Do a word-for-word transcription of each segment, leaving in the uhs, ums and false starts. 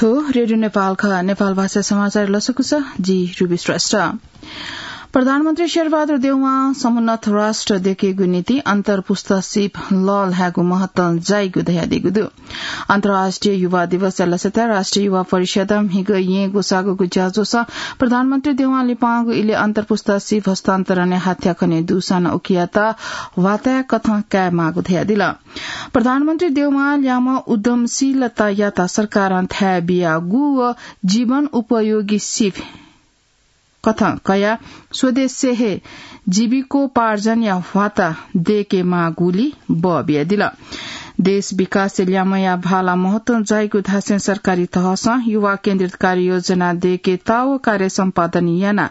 रेडियो नेपाल खः। नेपाल भाषा समाचार लसकुस, जि रुबी श्रेष्ठ। प्रधानमन्त्री शेरबहादुर देउवां समुन्नत राष्ट्र देकेगु निंतिं अन्तर्पुस्ता सिप लःल्हायेगु महत्व जाइगु धयादीगु दु। अन्तर्राष्ट्रिय युवा दिवसया लसताय् राष्ट्रिय युवा परिषदं म्हिगः येँ ग्वसाःगु ज्याझ्वलय् प्रधानमन्त्री देउवां लिपांगु इलय् अन्तर्पुस्ता सिप हस्तान्तरणय् हाथ्या खने दुसां नं उकियात ह्वाताय् कथं कायेमाःगु धयादिल। प्रधानमन्त्री देउवां ल्याय्म्ह उद्यमशीलतायात सरकारं थाय् बियागु व जीवन उपयोगी सिप कथं कयाः स्वदेशय् हे जीविकोपार्जनया ह्वाता देकेमाःगुलि बः बियादिल। देश विकासय् ल्याय्म्हया भाला महत्व जाइगु धासें सरकारी तहसं युवा केन्द्रित कार्ययोजना देकेत व कार्य सम्पादन यानाः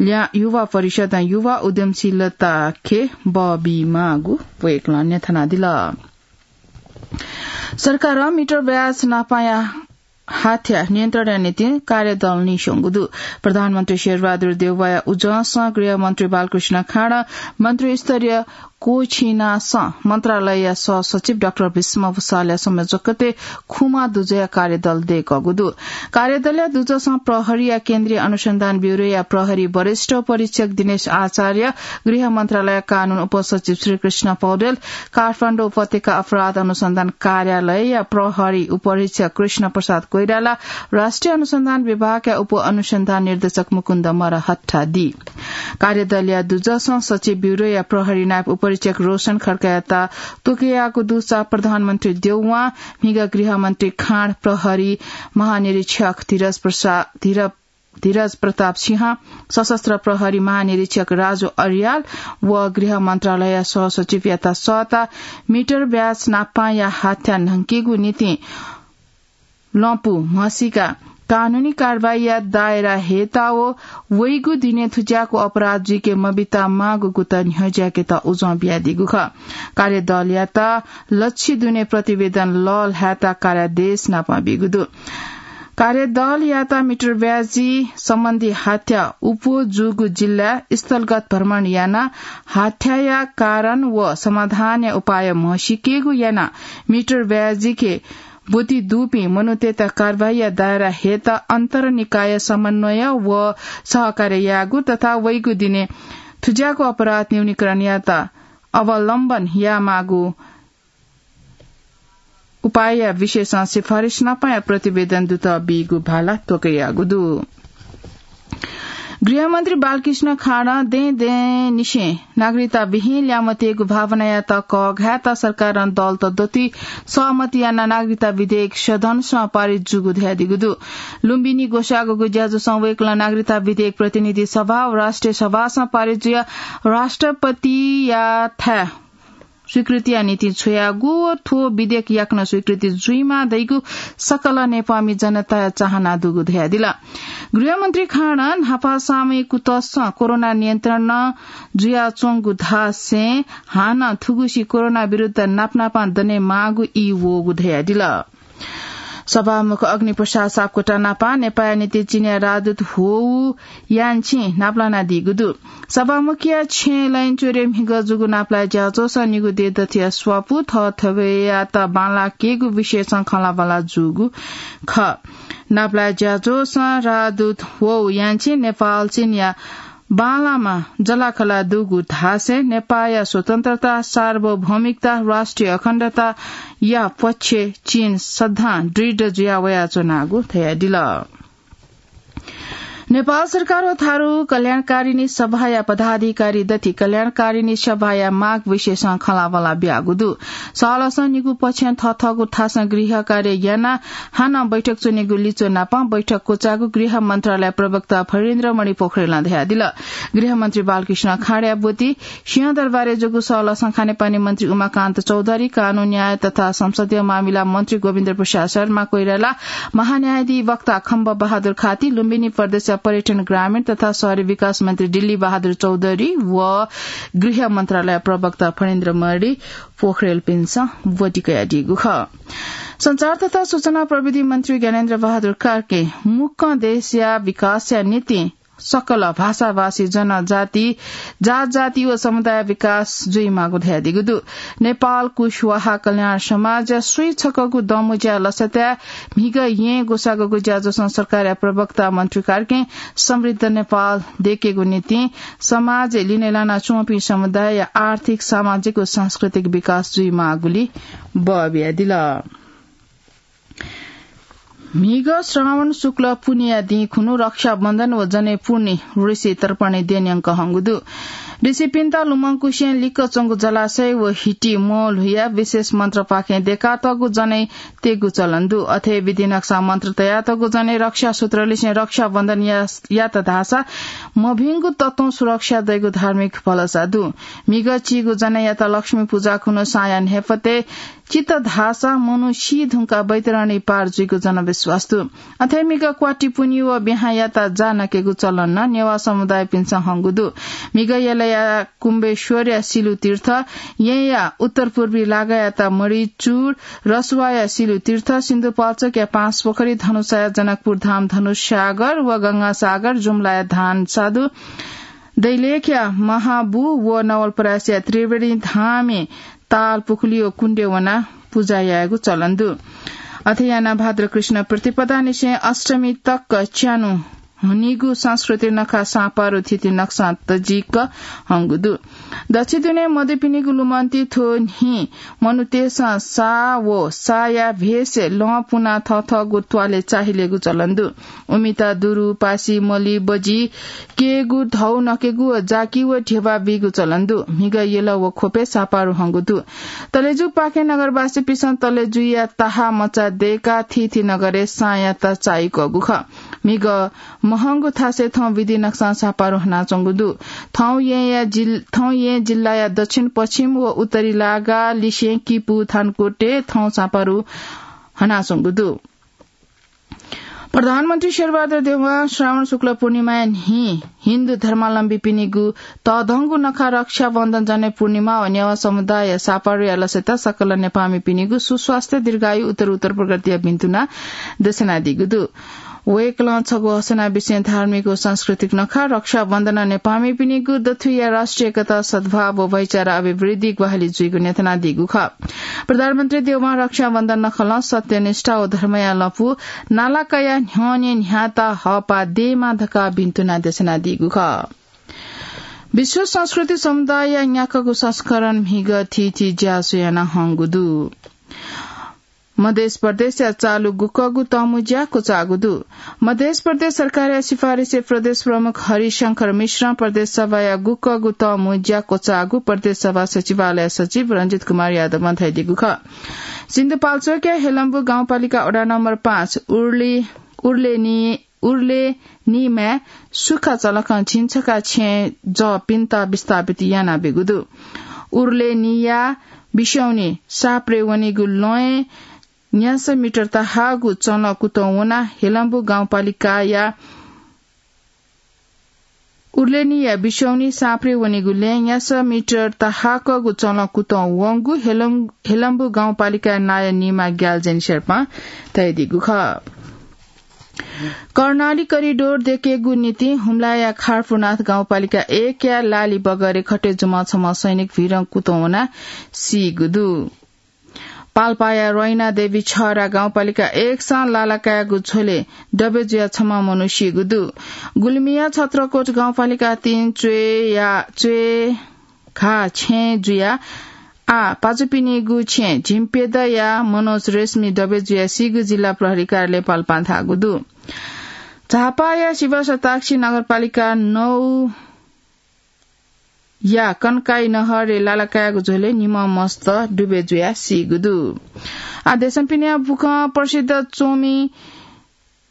ल्या-, युवा परिषदं युवा उद्यमशीलताके बः बीमाःगु वय्कलं न्ह्यथनादिल। सरकारं मिटर ब्याज नापांया हाथ्या नियन्त्रणया निंतिं कार्यदल नीस्वंगु दु। प्रधानमन्त्री शेरबहादुर देउवाया उजंसं गृहमन्त्री बालकृष्ण खाँड, मन्त्रीस्तरीय कोछिनासं मन्त्रालयया सहसचिव डाक्टर भीष्म भूषालया संयोजकत्वय् खुमा दुजःया कार्यदल दय्कःगु दु। कार्यदलया दुजःसं प्रहरीया केन्द्रीय अनुसन्धान ब्यूरोया प्रहरी वरिष्ठ उपरीक्षक दिनेश आचार्य, गृह मन्त्रालय कानून उपसचिव श्रीकृष्ण पौडेल, काठमाडौं उपत्यका अपराध अनुसन्धान कार्यालयया प्रहरी उपरीक्षक कृष्ण प्रसाद कोइराला, राष्ट्रिय अनुसन्धान विभागया उप अनुसन्धान निर्देशक मुकुन्द मरहट्टा दी। कार्यदलया दुजःसं सचिव ब्यूरोया प्रहरी नायब उपरीक्षक रोशन खड्कायात त्वकयाःगु दुसा प्रधानमन्त्री देउवां, म्हिगः गृहमन्त्री खाँड, प्रहरी महानिरीक्षक धीरज प्रसा-, धीर-, धीरज प्रताप सिंह, सशस्त्र प्रहरी महानिरीक्षक राजु अर्याल व गृह मन्त्रालय सहसचिवयात सःता मिटर ब्याज नापांया हाथ्या न्हंकेगु निंतिं लँपु म्हसीका कानूनी कारवाहीया दायरा हयेत व वइगु दिनय् थुज्याःगु अपराध जुइके मबिता माःगु कुतः न्ह्यज्याकेत उजं बियादीगु खः। कार्यदलयात लच्छि दुने प्रतिवेदन लःल्हायेत कार्यादेश नापं बीगु दु। कार्यदलयात मिटर ब्याजी सम्बन्धी हाथ्या उप जूगु जिल्ला स्थलगत भ्रमण यानाः हाथ्याया कारण व समाधानया उपाय म्हसीकेगु यानाः मिटर ब्याजीके ब्वति दुपिं मनूतय्त कारवाहीया दायरा हयेत अन्तरनिकाय समन्वय व सहकार्य यायेगु तथा वइगु दिनय् थुज्याःगु अपराध न्यूनीकरणयात अवलम्बन यायेमाःगु उपायया विषयसं सिफारिस नापांया प्रतिवेदन दुत बीगु भाला त्वकयाःगु दु। गृहमन्त्री बालकृष्ण खाँडं दँय् दँय्‌निसें नागरिकता विहीन ल्याय्म्हतय्‌गु भावनायात कःघायेत सरकारं दलत दथुइ सहमति यानाः नागरिकता विधेयक सदनसं पारित जूगु धयादीगु दु। लुम्बिनी ग्वसाःगु ज्याझ्वलय् वय्कलं नागरिकता विधेयक प्रतिनिधि सभा व राष्ट्रिय सभासं पारित जुयाः राष्ट्रपतियाथाय् स्वीकृतिया निंतिं छ्वयागु व थ्व विधेयक याकनं स्वीकृति जुइमाः धइगु सकल नेपाःमि जनताया चाहना दुगु धयादिल। गृहमन्त्री खाँडं न्हापा सामूहिक कुतसं कोरोना नियन्त्रण नं जुयाच्वंगु धासें हानं थुगुसी कोरोना विरुद्ध नापनापं दनेमाःगु ई वःगु धयादिल। सभामुख अग्निप्रसाद सापकोटा नापं नेपाःया निंतिं चीनया राजदूत ह्वौ यानछिं नापलानादीगु दु। सभामुखया छेँय् लैनचुरे म्हिगः जूगु नापलाये ज्याझ्वलय् निगू देय् दथुया स्वापू थःथवय्‌यात बांलाकेगु विषयसं खँल्हाबल्हा जूगु खः। नापलाये ज्याझ्वलय् राजदूत ह्वौ यानछिं नेपाल चीनया बांलाःम्ह जःलाखःला दुगु धासें नेपाःया स्वतन्त्रता, सार्वभौमिकता, राष्ट्रिय अखण्डताया पक्षय् चीन सदां दृढ जुया वयाच्वनागु धयादिल। नेपाल सरकार व थारु कल्याणकारिणी सभाया पदाधिकारी दथुइ कल्याणकारिणी सभाया माग विषयसं खँल्हाबल्हा बियागु दु। सहलसं निगू पक्षं थःथःगु थासं गृह कार्य यानाः हानं बैठक च्वनेगु लिच्वः नापं बैठक क्वचाःगु गृह मन्त्रालय प्रवक्ता फणीन्द्रमणि पोखरेलं धयादिल। गृहमन्त्री बालकृष्ण खाँडया ब्वति सिंहदरबारय् जूगु सहलसं खानेपानी मन्त्री उमाकान्त चौधरी, कानून, न्याय तथा संसदीय मामिला मन्त्री गोविन्द प्रसाद शर्मा कोइराला, महान्यायाधिवक्ता खम्ब बहादुर खाती, लुम्बिनी प्रदेशया पर्यटन, ग्रामीण तथा शहरी विकास मन्त्री दिल्ली बहादुर चौधरी व गृह मन्त्रालय प्रवक्ता फणीन्द्रमणि पोखरेलपिन्सं ब्वति कयादीगु खः। सञ्चार तथा सूचना प्रविधि मन्त्री ज्ञानेन्द्र बहादुर कार्कीं मुक्कं देशया विकासया निंतिं सकल भाषाभाषी जनजाति, जातजाति व समुदाय विकास जुइमाःगु धयादीगु दु। नेपाल कुशवाहा कल्याण समाज स्वीछकःगु दमुज्या लसताय् म्हिगः येँ ग्वसाःगु ज्याझ्वलं सरकारया प्रवक्ता मन्त्री कार्कीं समृद्ध नेपाल दयेकेगु निंतिं समाजय् लिने लानाच्वंपिं समुदायया आर्थिक, सामाजिक व सांस्कृतिक विकास जुइमाःगुली बः बियादिल। म्हिगः श्रावण शुक्ल पुन्हिया दिं खुन्हु रक्षाबन्धन व जनै पूर्णि ऋषि तर्पणया दिं न्यंकं हंगु दु। ऋषिपिन्त लुमंकुसें लिक्क च्वंगु जलाशय व हिटी म्वःल्हुयाः विशेष मन्त्रपाखें दयेकातःगु जनै तयेगु चलन दु। अथे विधि नक्सां मन्त्र तयातःगु जनै रक्षा सूत्रलिसें रक्षाबन्धन या-, यात धाःसा मभिंगु तत्वं सुरक्षा दइगु धार्मिक भलसा दु। म्हिगः चीगु जनयात लक्ष्मी पुजा खुन्हु साँया न्हाय्पतय् चित धाःसा मनू सी धुंकाः वैतरणी पार जुइगु जनविश्वास दु। अथे म्हिगः क्वाति पुन्हि व ब्याहां यात जा नकेगु चलन नं नेवाः समुदायपिन्सं हंगु दु। म्हिगः यलया कुम्बेश्वरया सिलु तीर्थ, येँया उत्तर पूर्वी लागायात मणिचूड, रसुवाया सिलु तीर्थ, सिन्धुपाल्चोकया पाँचपोखरी, धनुषाया जनकपुर धाम धनुषागर व गंगासागर, जुम्लाया धान साधु, दैलेखया महाबु व नवलपरासीया त्रिवेणी धामय् ताल पुखुली व कुण्डय् वनाः पुजा यायेगु चलन दु। अथे यानाः भाद्र कृष्ण प्रतिपदांनिसें अष्टमी तक च्यान्हु हनीगु संस्कृति नखः साँपारु थिति नक्सां तजिक हंगु दु। दच्छि दुने मदुपिनिगु लुमन्ति थ्व न्हि मनूतय्सं साः व साःया भेषय् लं पुनाः थःथःगु त्वालय् चाहिलेगु चलन दु। उमित दुरु, पासि, मलि, बजि, केगु, धौ नकेगु व जाकि व ध्यबा बीगु चलन दु। म्हिगः यल व ख्वपय् साँपारु हंगु दु। तलेजुपाखें नगरवासीपिन्सं तलेजुया ताहा मचा दयेकाः थीथी नगरय् साँयात चाइकःगु खः। म्हिगः महंगु थासय् थौं विधि नक्सां साँपारु हनाच्वंगु दु। थौं येँया जिल-, थौं येँ जिल्लाया दक्षिण पश्चिम व उत्तरी लागा लिसें किपू, थानकोटय् थौं साँपारु हनाच्वंगु दु। प्रधानमन्त्री शेरबहादुर देउवां श्रावण शुक्ल पूर्णिमाया न्हि हिन्दू धर्मावलम्बीपिनिगु तःधंगु नखः रक्षाबन्धन, जनै पूर्णिमा व नेवाः समुदायया साँपारुया लसताय् सकल नेपाःमिपिनिगु सुस्वास्थ्य, दीर्घायु, उत्तरोत्तर प्रगतिया भिन्तुना देछानादीगु दु। वय्कलं छगू हसना विषयं धार्मिक व सांस्कृतिक नखः रक्षाबन्धनं नेपाःमिपिनिगु दथुइया राष्ट्रिय एकता, सद्भाव व भाइचारा अभिवृद्धि ग्वाहालि जुइगु न्ह्यथनादीगु खः। प्रधानमन्त्री देउवां रक्षाबन्धन नखलं सत्यनिष्ठा व धर्मया लँपु नालाकाया न्ह्यःने न्ह्याःता हःपाः दयेमा धकाः भिन्तुना देछानादीगु खः। विश्व संस्कृति समुदायया न्याकागु संस्करण म्हिगः थीथी ज्याझ्वः याना हंगु दु। मधेस प्रदेशया चालु गुकःगु तःमु ज्या क्वचाःगु दु। मधेस प्रदेश सरकारया सिफारिसय् प्रदेश प्रमुख हरिशंकर मिश्रं प्रदेश सभाया गुकःगु तःमु ज्या क्वचाःगु प्रदेश सभा सचिवालय सचिव रंजित कुमार यादवं धयादीगु खः। सिन्धुपाल्चोकया हेलम्बु गाउँपालिका वडा नम्बर पाँच उर्ले-, उर्लेनी उर्लेनीमाय् सुखा चलखं झिंछखा छेँय् जःपिन्त विस्थापित यानाबीगु दु। उर्लेनीया बिस्यौनी साँप्रे वनीगु लँय् न्यासः मिटर तहाःगु चलं कुतुं वनाः हेलम्बु गाउँपालिकाया उर्लेनीया बिस्यौनी साँप्रे वनीगु लँय् न्यासः मिटर तहाकःगु चलं कुतुं वंगु हेलं-, हेलम्बु गाउँपालिकाया नायः निमा ग्याल्जेन शेर्पां धयादीगु खः। कर्णाली करिडोर दयेकेगु निंतिं हुम्लाया खारपुरनाथ गाउँपालिका एकया लाली बगरे खटे जुमा छम्ह सैनिक भिरं कुतुं वनाः सीगु दु। पाल्पाया रोइना देवी छहरा गाउँपालिका एकसं लालाकायागु झ्वलय् डबे जुयाः छम्ह मनू सीगु दु। गुल्मीया छत्रकोट गाउँपालिका तीन च्वय्या, च्वय् घा छेँ जुयाः आः पाजुपिनिगु छेँ झिम्प्यदँया मनोज रेशमी डबे जुयाः सीगु जिल्ला प्रहरी कार्यालय पाल्पां धाःगु दु। झापाया शिवशताक्षी नगरपालिका नौ या कनकाई नहरय् लालाकायागु झ्वलय् निम्ह मस्त डुबे जुयाः सीगु दु। आः देशं पिने बुखं प्रसिद्ध च्वमि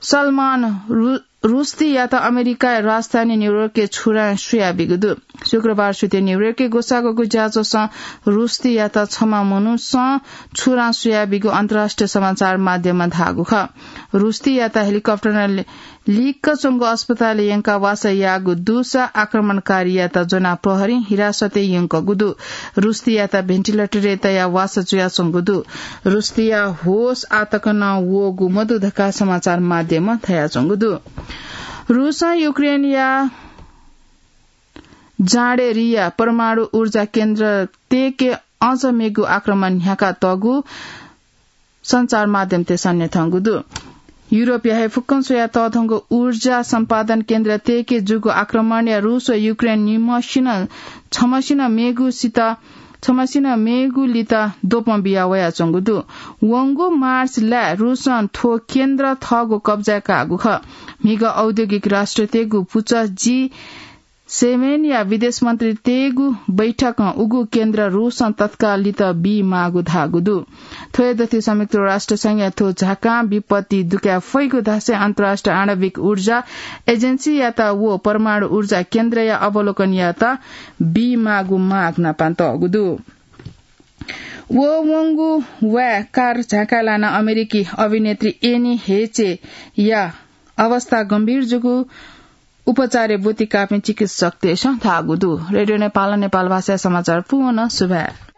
सलमान रु-, रुस्तीयात अमेरिकाया राजधानी न्यूयोर्कय् छुरां सुयाबीगु दु। शुक्रबार सुथय् न्यूयोर्कय् ग्वसाःगु ज्याझ्वलं रुस्तीयात छम्ह मनूसं छुरां सुयाबीगु अन्तर्राष्ट्रिय समाचार माध्यमं धाःगु खः। रुस्तीयात हेलिकप्टरं लिक्क च्वंगु अस्पतालय् यंकाः वासः याःगु दुसा आक्रमणकारीयात ज्वनाः प्रहरीं हिरासतय् यंकूगु दु। रुस्तीयात भेन्टिलेटरय् तयाः वासः जुयाच्वंगु दु। रुस्तीया होश आः तक नं वःगु मदु धकाः समाचार माध्यमं धयाच्वंगु दु। रूसं युक्रेनया जाँडेरिया परमाणु ऊर्जा केन्द्र तेके अझ मेगु आक्रमण न्ह्याका तःगु सञ्चार माध्यमतय्सं न्ह्यथंगु दु। युरोपया हे फुक्कं स्वया तःधंगु ऊर्जा सम्पादन केन्द्र तेके जूगु आक्रमणया रूस व युक्रेन निम्हसिनं छम्हसिनं मेगुसित छम्हसिनं मेगुलित द्वपं बिया वयाच्वंगु दु। वंगु मार्च लाय् रूसं थ्व केन्द्र थःगु कब्जाय् काःगु खः। म्हिगः औद्योगिक राष्ट्रतय्गु पुचः जी सेभेनया विदेश मन्त्रीतय्गु बैठकं उगु केन्द्र रूसं तत्काललित बी माःगु धाःगु दु। थ्व हे दथुइ संयुक्त राष्ट्र संघया थ्व झाकां विपत्ति दुकाये फइगु धासें अन्तर्राष्ट्रिय आणविक ऊर्जा एजेन्सीयात व परमाणु ऊर्जा केन्द्रया अवलोकनयात बी माःगु माग नापं तःगु दु। व वंगु वाय् कार झाँकाय् लानाः अमेरिकी अभिनेत्री एनी हेचेया अवस्था गम्भीर जूगु उपचारय् ब्वति काःपिं चिकित्सकतय्सं धाःगु दु। रेडियो नेपालं नेपाल भाषाया समाचार पूवं सुभाय्।